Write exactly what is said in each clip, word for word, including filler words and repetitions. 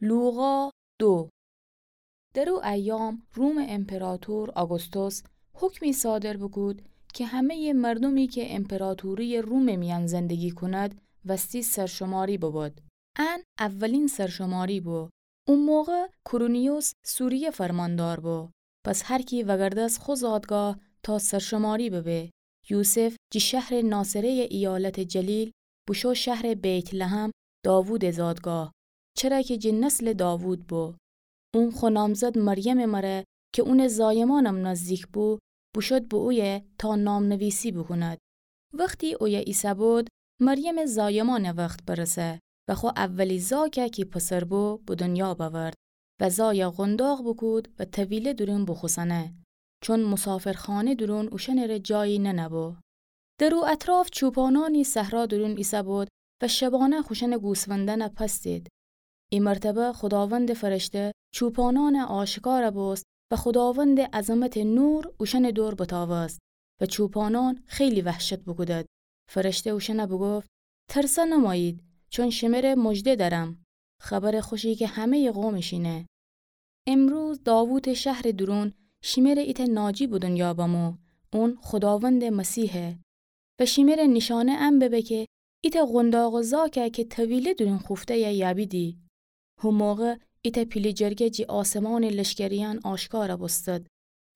لوقا دو. در او ایام رومٚ امپراطور آگوستوس حکمی صادر بوکود کی همه‌یٚ مردومی کی امپراطوری‌یٚ رومٚ میأن زندگی کود، وستی سرشماری ببود. ان اولین سرشماری بو. او موقع کورونیوس سوریه فرماندار بو. پس هر کی وگردست خو زادگاه تا سرشماری ببه. یوسف جی شهرٚ ناصره‌یٚ ایالتٚ جلیل بوشو شهرٚ بیت‌لحم، داوودٚ زادگاه، چره کی جی نسلٚ داوود بو. اون خو نامزد مریمٚ مره کی اونٚ زایمانم نزدیک بو، بوشود به اویه تا نام‌نویسی بوکوند. وختی اویه ایسه‌بود، مریمٚ زایمانٚ وخت برسه و خو اولی زاکه کی پسر بو، به دنیا بأورد و زایه قونداق بوکود و طویله دورون بوخوسنه، چون مسافرخانه دورون اوشأنٚره جایی ننه‌بو. در او اطراف چوپانأنی صحرا دورون ایسه‌بود و شبانه خوشأنٚ گوسفندأنه پس دید. ای مرتبه خوداوندٚ فرشته چوپانأنه آشکار بوست و خوداوندٚ عظمتٚ نور اوشأنٚ دور بتاوست و چوپانأن خیلی وحشت بوکودد. فرشته اوشأنه بوگفت: ترسه نمویید، چون شمره مژده دأرم. خبرٚ خوشی کی همه‌یٚ قوم ایشینه. امروز داوودٚ شهرٚ دورون شمره ایتأ ناجی به دنیا بمو، اون خوداوندٚ مسیحه. و شمره نیشانه ان ببه کی ایتأ قونداق و زاکه کی طویله دورون خوفته‌یه یابیدی. هو موقع ایتأ پیله جرگه جی آسمانٚ لشکریأن آشکار بوستد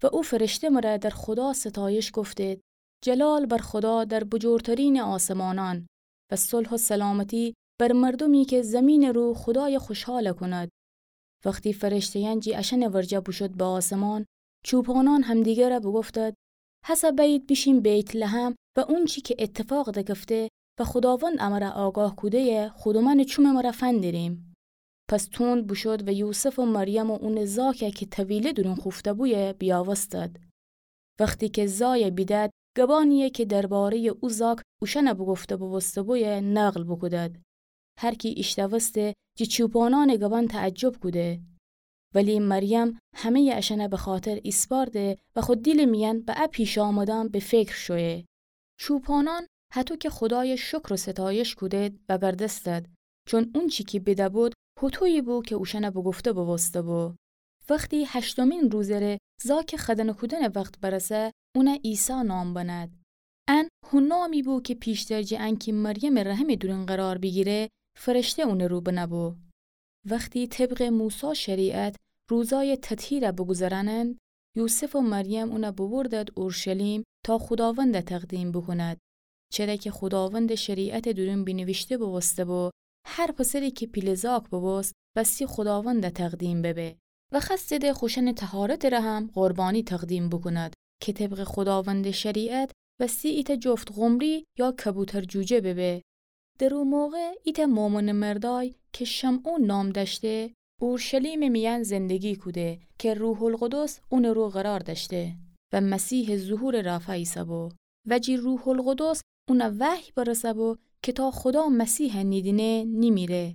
و او فرشته مره در خودا ستایش گفتید: جلال بر خودا در بجورترینٚ آسمانأن و صلح و سلامتی بر مردومی کی زمینٚ رو خودای خوشحال کند. وختی فرشته‌یأن جی اشأنٚ ورجه بوشود به آسمان، چوپانأن همدیگره بوگفتد: هسه بأیید بیشیم بیت‌لحم و اونچی کی ایتفاق دکفته و خوداوند امره آگاه کوده‌یه خودومأنٚ چومٚ مره فندریم. پس توند بوشود و یوسف و مریم و اونٚ زاکه کی طویله دورون خوفته‌بویه بیاوستد. وختی کی زایه بیدد، گبأنیی کی درباره‌یٚ او زاک اوشأنه بوگفته بوبوسته‌بویه نقل بوکودد. هر کی ایشتأوسته جی چوپانأنٚ گبأن تعجب کوده. ولی مریم همه‌یٚ اشأنه بخاطر ایسپارده و خو دیلٚ میأن به ا پیشامدأن به فکر شویه. چوپانأن هطو کی خودای شکر و ستایش کودید وگردستد، چون اونچی کی بیده‌بود هوطویی بو کی اوشأنه بوگفته بوبوسته‌بو. وختی هشتمین روزٚ ره زاکٚ خدنه کودنٚ وخت برسه، اونه عیسی نام بنهد. ان هو نامی بو کی پیشتر جٚه انکی مریمٚ رحمٚ دورون قرار بیگیره، فرشته اونٚ رو بنه‌بو. وختی طبقٚ موسی شریعت روزای تطهیره بوگوذرأنند، یوسف و مریم اونه بوبردد اورشلیم تا خوداونده تقدیم بوکوند. چره کی خوداوندٚ شریعتٚ دورون بینیویشته بوبوسته‌بو: هر پسری کی پیله زاک بوبوست، وستی خوداونده تقدیم ببه. و خوأستیدی خوشأنٚ طهارتٚ ره هم قربانی تقدیم بوکوند، کی طبقٚ خوداوندٚ شریعت وستی ایتأ جفت قمری یا کبوتر جوجه ببه. در او موقع ایتأ مؤمنٚ مردأی کی شمعون نام دأشته، اورشلیمٚ میأن زندگی کوده، کی روح‌القدس اونٚ رو قرار دأشته و مسیحٚ ظهورٚ رأفا ایسه‌بو. و جی روح‌القدس اونه وحی برسه‌بو کی تا خودا مسیحه نیدینه، نیمیره.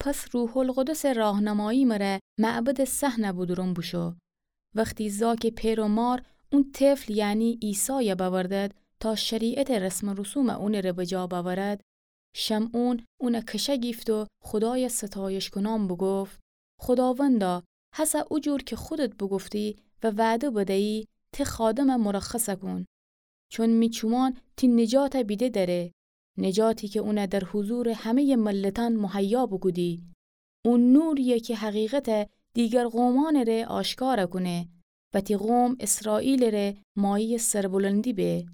پس روح‌القدسٚ راهنمایی مره معبدٚ صحنه بودورون بوشو. وختی زاکٚ پئر و مار اون طفل، یعنی عیسایه بأوردد تا شریعتٚ رسم و رسومه اونٚ ره بجا بأورد، شمعون اونه کشه گیفت و خودایه ستایش کونان بوگفت: خوداوندا، هسه او جور کی خودت بوگفتی و وعده بدیی، تی خادمه مرخص کون. چون می چومان تی نجاته بیده دأره، نجاتی کی اونه در حضورٚ همه‌یٚ ملتأن مهیا بوکودی. او نورییه کی حقیقته دیگر قومأنٚ ره آشکار کونه و تی قوم اسرائیلٚ ره مایه‌یٚ سربلندی به.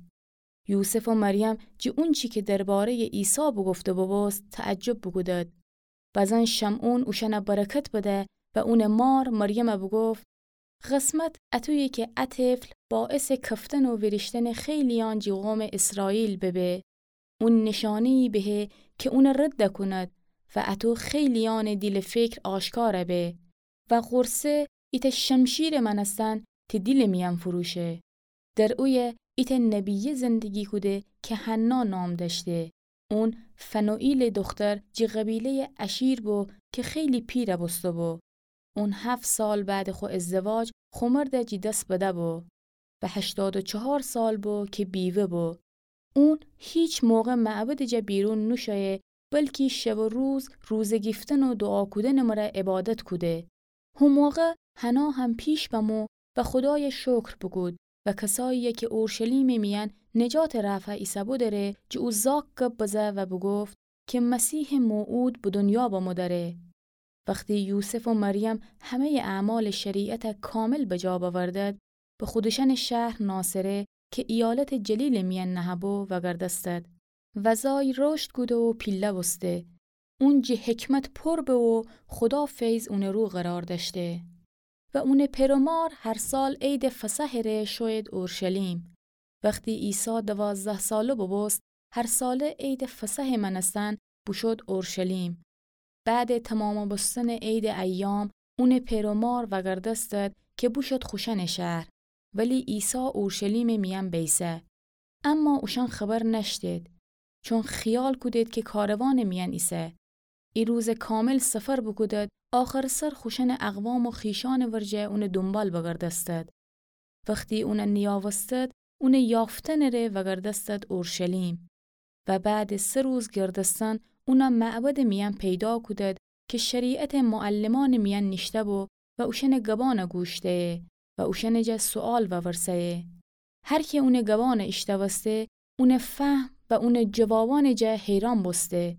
یوسف و مریم جی اونچی کی درباره‌یٚ عیسی بوگفته بوبوست، تعجب بوکودد. بزن شمعون اوشأنه برکت بده و اونٚ مار مریمه بوگفت: قسمت اطویه کی ا طفل باعثٚ کفتن و ویریشتنٚ خیلییأن جی قومٚ اسرائیل ببه. اون نیشانه‌یی بهه کی اونه رد کوند و اطو خیلییأنٚ دیل و فکر آشکار به. و قرصه ایتأ شمشیرٚ مأنستن تی دیلٚ میأن فروشه. در اویه ایتأ نبیه زندگی کوده کی حنا نام دأشته. اون فنوئیلٚ دوختر جی قبیله‌یٚ آشیر بو کی خیلی پیر بوسته‌بو. اون هفت سال بعدٚ خو ازدواج خو مرده جی دس بده‌بو و هشتاد و چهار سال بو کی بیوه بو. اون هیچ موقع معبدٚ جا بیرون نوشویه بلکی شب و روز روزه گیفتن و دوعا کودنٚ مره عبادت کوده. هو موقع حنا هم پیش بمو و خودایَ شکر بوکود و کسایی‌یَ کی اورشلیمٚ میأن نجاتٚ رأفا ایسه‌بو دأره، جٚه او زاک گب بزه و بوگفت کی مسیحٚ موعود به دونیا بمو دأره. وختی یوسف و مریم همه‌یٚ اعمالٚ شریعتَ کامل بجا بأوردد، به خودشأنٚ شهر ناصره کی ایالتٚ جلیلٚ میأن نهه‌بو وأگردستد. و زای رشد کوده و پیله بوسته. اون جٚه حکمت پور به و خودا فیض اونٚ رو قرار دأشته. و اونٚ پئر و مار هر سال عیدٚ فصحٚ ره شویید اورشلیم. وختی عیسی دوازده ساله بوبوست، هر ساله عیدٚ فصحٚ مأنستن بوشود اورشلیم. بعدٚ تمام بوستنٚ عیدٚ ایام، اونٚ پئر و مار وأگردستد کی بوشود خوشأنٚ شهر، ولی عیسی اورشلیمٚ میأن بیسه. اما اوشأن خبر نأشتید، چون خیال کودید کی کاروانٚ میأن ایسه. ای روزٚ کامل سفر بوکودد، آخرٚ سر خوشأنٚ اقوام و خویشأنٚ ورجه اونٚ دونبال بگردستد. وختی اونَ نیأوستد، اونٚ یافتنٚ ره وأگردستد اورشلیم. و بعدٚ سه روز گردستن، اونَ معبدٚ میأن پیدا کودد کی شریعتٚ معلمأنٚ میأن نیشته‌بو و اوشأنٚ گبأنَ گوش دهیه و اوشأنٚ جا سؤال وورسه‌یه. هر کی اونٚ گبأنَ ایشتأوسته، اونٚ فهم و اونٚ جوابأنٚ جا حیران بوسته.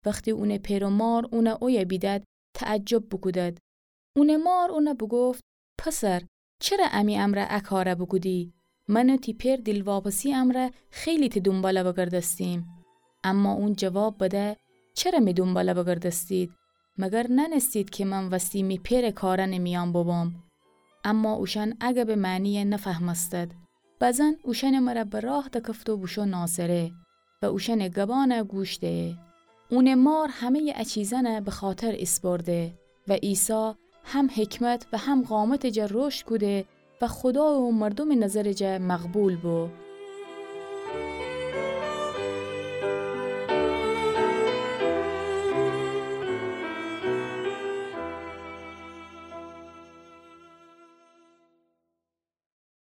وختی اونٚ پئر و مار اونَ اویه بیدد، تعجب بوکودد. اونٚ مار اونَ بوگفت: پسر، چره امی امرأ ا کارَ بوکودی؟ من و تی پئر دیلواپسی امرأ خیلی تی دونبالَ بگردستیم. اما اون جواب بده: چره می دونبالَ بگردستید؟ مگر نأنستید کی من وستی می پئرٚ کارأنٚ میأن بوبوم؟ اما اوشأن ا گبٚ معنیَ نفهمستد. بزن اوشأنٚ مره به راه دکفت و بوشو ناصره و اوشأنٚ گبأنَ گوش دهه. اونٚ مار همه‌یٚ ا چیزأنَ به خاطر ایسپرده و عیسی هم حکمت و هم قامتٚ جا رشد کوده و خودا و مردومٚ نظرٚ جا مقبول بو.